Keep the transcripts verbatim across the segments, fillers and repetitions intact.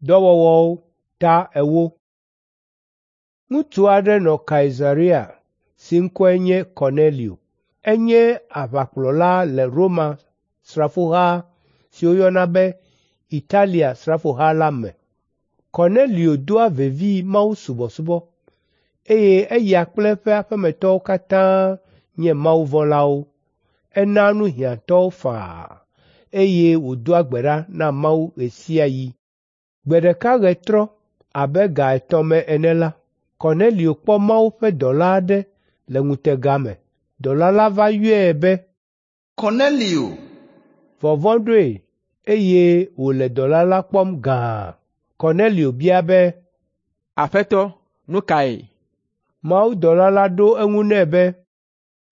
Dɔwɔwɔwo ta ewo. Ŋutsu aɖe nɔ Kaisarea si ŋkɔe nye Kornelio. Enye aʋakplɔla le Roma srafoha si woyɔna be Italia srafoha la me. Kornelio doa vevi mawusubɔsubɔ, eye eya kple eƒe aƒemetɔwo katã nye mawuvɔ̃lawo. Enaa nu hiãtɔwo faa, eye wòdoa gbe ɖa na Mawu ɣe sia ɣi. Gbe ɖeka ɣetrɔ abe ga etɔ̃ me ene la, Kornelio kpɔ Mawu ƒe dɔla aɖe le ŋutega me. Dɔla la va yɔe be, Kornelio! Vɔvɔ̃ ɖoe, eye wòle dɔla la kpɔm gãa. Kornelio bia be, “Aƒetɔ, nu kae?” Mawudɔla la ɖo eŋu nɛ be,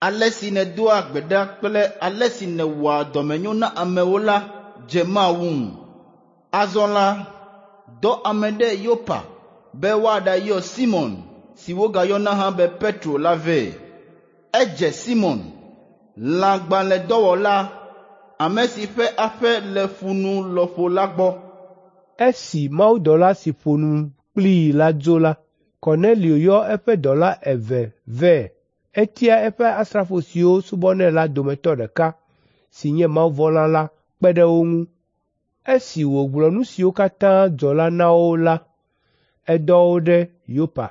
Ale si nèdoa gbe ɖa kple ale si nèwɔa dɔmenyo na amewo la dze Mawu ŋu. Azɔ la, dɔ ame ɖe Yopa be woaɖayɔ Simɔn si wogayɔna hã be Petro la vɛ. Edze Simɔn, lãgbalẽdɔwɔla, ame si ƒe aƒe le ƒu nu lɔƒo la gbɔ.” Esi mawudɔla si ƒo nu kplii la dzo la, Kornelio yɔ eƒe dɔla eve vɛ. Etia eƒe asrafo siwo subɔnɛ la dometɔ ɖeka si nye mawuvɔ̃la la kpe ɖe wo ŋu. Esi wògblɔ nu siwo katã dzɔ la na wo la, edɔ wo ɖe Yopa.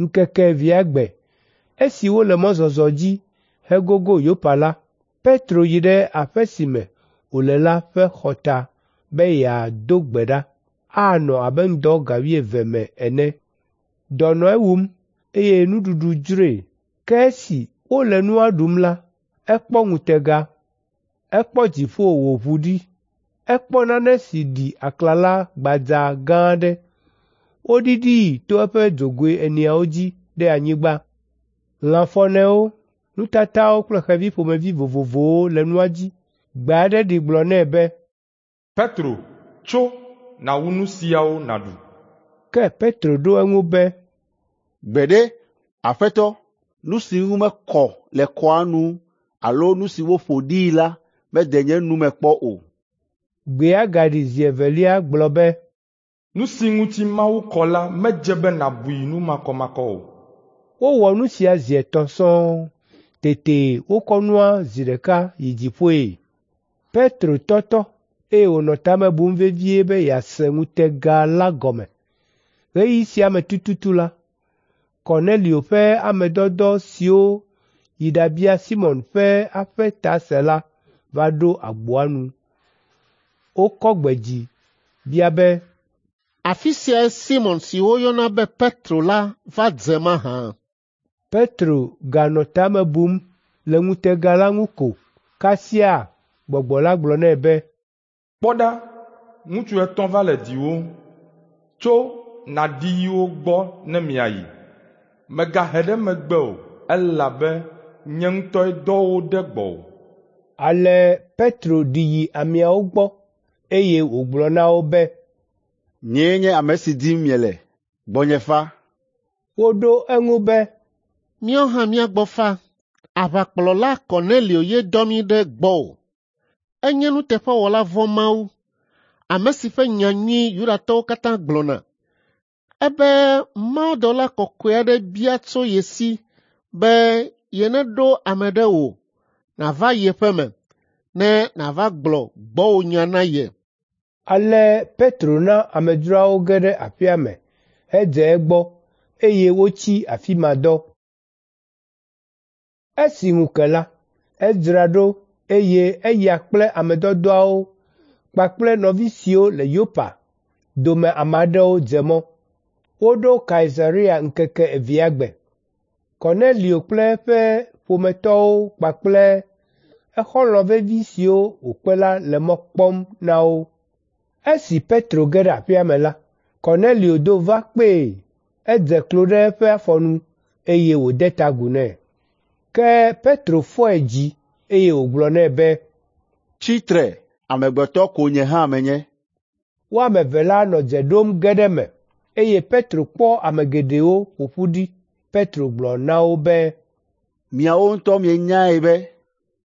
Ŋkeke evea gbe, esi wole mɔzɔzɔ dzi hegogo Yopa la, Petro yi ɖe aƒe si me wòle la ƒe xɔta be yeado gbe ɖa anɔ abe ŋdɔ ga wuieve me ene. Dɔ nɔ ewum, eye nuɖuɖu dzroe. Ke esi wole nua ɖum la, ekpɔ ŋutega. Ekpɔ dziƒo wòʋu ɖi. Ekpɔ nane si ɖi aklala gbadza gã aɖe. Woɖiɖii to eƒe dzogoe eneawo dzi ɖe anyigba. Lãfɔnewo, nutatawo kple xevi ƒomevi vovovowo le nua dzi. Gbe aɖe ɖi gblɔ nɛ be, “Petro, tso, nàwu nu siawo nàɖu.” Ke Petro ɖo eŋu be, “Gbeɖe, Aƒetɔ, nu si ŋu mekɔ le kɔa nu alo nu si woƒo ɖii la mede nye nu me kpɔ o.” Gbea gaɖi zi evelia gblɔ be, “Nu si ŋuti Mawu kɔ la medze be nàbui nu makɔmakɔ o.” Wowɔ nu sia zi etɔ̃ sɔŋ. Tete wokɔ nua zi ɖeka yi dziƒoe. Petro tɔtɔ, eye wònɔ ta me bum vevie be yease ŋutega la gɔme. Ɣeyiɣi sia me tututu la, Kornelio ƒe ame dɔdɔ siwo yi ɖabia Simɔn ƒe aƒe ta se la va ɖo agboa nu. Wokɔ gbe dzi bia be, “Afi siae Simɔn si woyɔna be Petro la va dze mahã?” Petro ganɔ ta me bum le ŋutega la ŋu ko kasia gbɔgbɔ la gblɔ nɛ be, “Kpɔ ɖa, ŋutsu etɔ̃ va le diwòm. Tso nàɖi yi wo gbɔ ne miayi. Mègahe ɖe megbe o, elabe nye ŋutɔe dɔ wo ɖe gbɔwò.” Ale Petro ɖi yi ameawo gbɔ, eye wògblɔ na wo be, “Nyee nye ame si dim miele. Gbɔnye fa.” Woɖo eŋu be, “Míawo hã mía gbɔ fa. Aʋakplɔla Kornelio ye dɔ mí ɖe gbɔwò. Enye nuteƒewɔla vɔ̃ Mawu, ame si ƒe nya nyui Yudatɔwo katã gblɔna. Ebe mawudɔla kɔkɔe aɖe bia tso ye si be yeneɖo ame ɖe wò nàva ye ƒe me, ne nàva gblɔ gbɔwònya na ye.” Ale Petro na amedzroawo ge ɖe aƒea me hedze egbɔ, eye wotsi afi ma dɔ. Esi ŋu ke la, edzra ɖo, eye eya kple ame dɔdɔawo kpakple nɔvi siwo le Yopa dome ame aɖewo dze mɔ. Woɖo Kaisarea ŋkeke evea gbe. Kornelio kple eƒe ƒometɔwo kpakple exɔlɔ̃ vevi siwo wòkpe la le mɔ kpɔm na wo. Esi Petro ge ɖe aƒea me la, Kornelio do va kpee. Edze klo ɖe eƒe afɔ nu, eye wòde ta agu nɛ. Ke Petro fɔe dzi, eye wògblɔ nɛ be, “Tsi tre, amegbetɔ ko nye hã menye.” Wo ame eve la nɔ dze ɖom ge ɖe eme, eye Petro kpɔ ame geɖewo ƒo ƒu ɖi. Petro gblɔ na wo be, “Miawo ŋutɔ mienyae be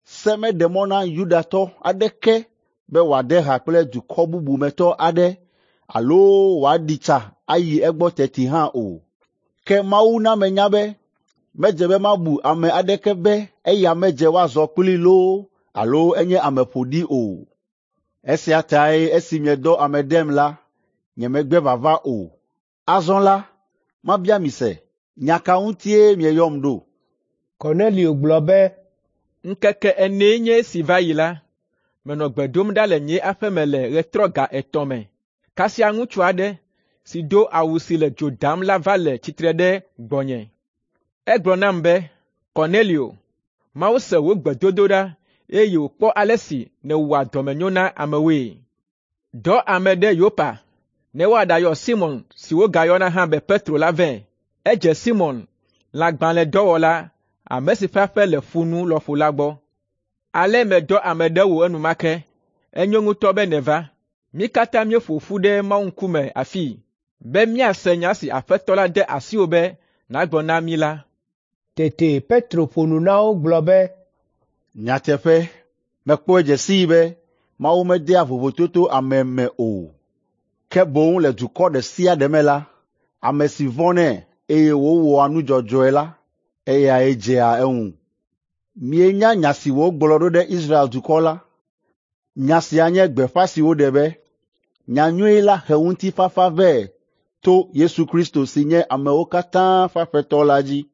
se meɖe mɔ na Yudatɔ aɖeke be wòade ha kple dukɔ bubu me tɔ aɖe alo wòaɖi tsa ayi egbɔ teti hã o. Ke Mawu na menya be medze be mabu ame aɖeke be eya medze woazɔ kplii loo alo enye ame ƒoɖi o. Esia tae esi miedɔ ame ɖem la, nyemegbe vava o. Azɔ la, mabia mi se, nya ka ŋutie mieyɔm ɖo?” Kornelio gblɔ be, Ŋkeke enee nye esi va yi la, menɔ gbe dom ɖa le nye aƒe me le ɣetrɔ ga etɔ̃ me. Kasia ŋutsu aɖe si do awu si le dzo dam la va le tsitre ɖe gbɔnye. Egblɔ nam be, ‘Kornelio, Mawu se wò gbedodoɖa eye wòkpɔ ale si nèwɔa dɔmenyo na amewoe. Dɔ ame ɖe Yopa ne woaɖayɔ Simɔn si wogayɔna hã be Petro la vɛ. Edze Simɔn, lãgbalẽdɔwɔla, ame si ƒe aƒe le ƒu nu lɔƒo la gbɔ. Ale medɔ ame ɖe wò enumake. Enyo ŋutɔ be nèva. Mí katã míeƒo ƒu ɖe Mawu ŋkume afii be míase nya si Aƒetɔ la de asiwò be nàgblɔ na mí la.” Tete Petro ƒo nu na wo gblɔ be, “Nyateƒe, mekpɔe dze sii be Mawu medea vovototo ame me o, ke boŋ le dukɔ ɖe sia ɖe me la, ame si vɔ̃nɛ eye wòwɔa nu dzɔdzɔe la, eyae dzea eŋu. Mienya nya si wògblɔ ɖo ɖe Israel dukɔ la. Nya sia nye gbeƒã si woɖe be, nyanyui la he ŋutifafa vɛ to Yesu Kristo si nye amewo katã ƒe Aƒetɔ la dzi.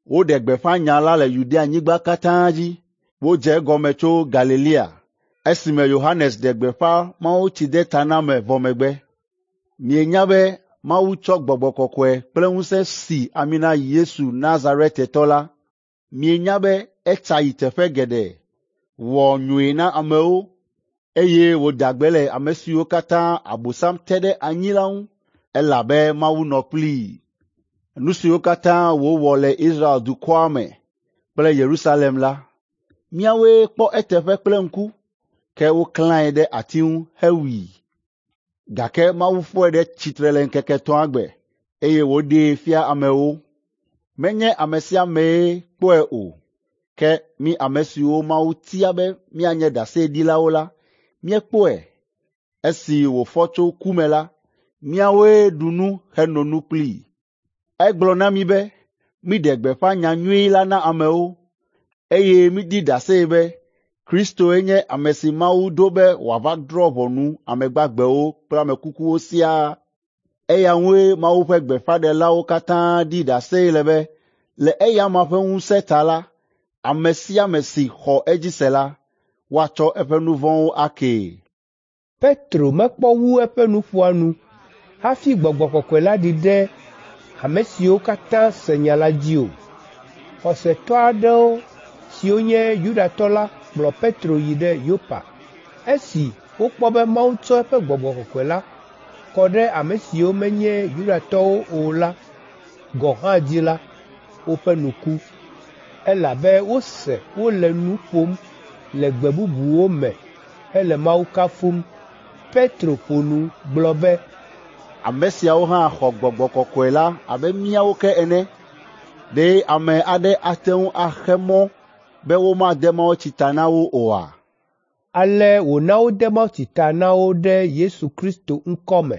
Woɖe gbeƒã nya la le Yudeanyigba katã dzi. Wodze egɔme tso Galilea esime Yohanes ɖe gbeƒã mawutsidetaname vɔ megbe. Mienya be Mawu tsɔ Gbɔgbɔ Kɔkɔe kple ŋusẽ si ami na Yesu Nazaretetɔ la. Mienya be etsa yi teƒe geɖe, wɔ nyui na amewo, eye wòda gbe le ame siwo katã Abosam te ɖe anyi la ŋu, elabe Mawu nɔ kplii. Nu siwo katã wòwɔ le Israel dukɔa me kple Yerusalem la, míawoe kpɔ eteƒe kple ŋku, ke woklãe ɖe ati ŋu hewui. Gake Mawu fɔe ɖe tsitre le ŋkeke etɔ̃a gbe, eye wòɖee fia amewo. Menye ame sia amee kpɔe o, ke mí ame siwo Mawu tia be míanye ɖaseɖilawo la, míekpɔe. Esi wòfɔ tso ku me la, míawoe ɖu nu heno nu kplii. Egblɔ na mí be míɖe gbeƒã nyanyui la na amewo, eye míɖi ɖase be Kristoe nye ame si Mawu ɖo be wòava drɔ̃ ʋɔnu ame gbagbewo kple ame kukuwo siaa. Eya ŋue Mawu ƒe gbeƒãɖelawo katã ɖi ɖase le be le eya amea ƒe ŋusẽ ta la, ame sia ame si xɔ edzi se la, woatsɔ eƒe nu vɔ̃wo akee. Petro mekpɔ wu eƒe nuƒoa nu hafi Gbɔgbɔ Kɔkɔe la ɖi ɖe ame siwo katã se nya la dzi o. Xɔsetɔ aɖewo siwo nye Yudatɔ la kplɔ Petro yi ɖe Yopa. Esi wokpɔ be Mawu tsɔ eƒe Gbɔgbɔ Kɔkɔe la kɔ ɖe ame siwo menye Yudatɔwo o la gɔ̃ hã dzi la, woƒe nu ku, elabe wose wole nu ƒom le gbe bubuwo me hele Mawu kafum. Petro ƒo nu gblɔ be, Ame siawo hã xɔ Gbɔgbɔ Kɔkɔe la abe míawo ke ene. Ɖe ame aɖe ate ŋu axe mɔ be womade mawutsi ta na wo oa?” Ale wòna wode mawutsi ta na wo ɖe Yesu Kristo ŋkɔ me.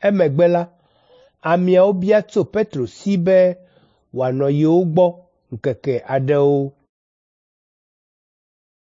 Emegbe la, ameawo bia tso Petro si be wòanɔ yewo gbɔ ŋkeke aɖewo.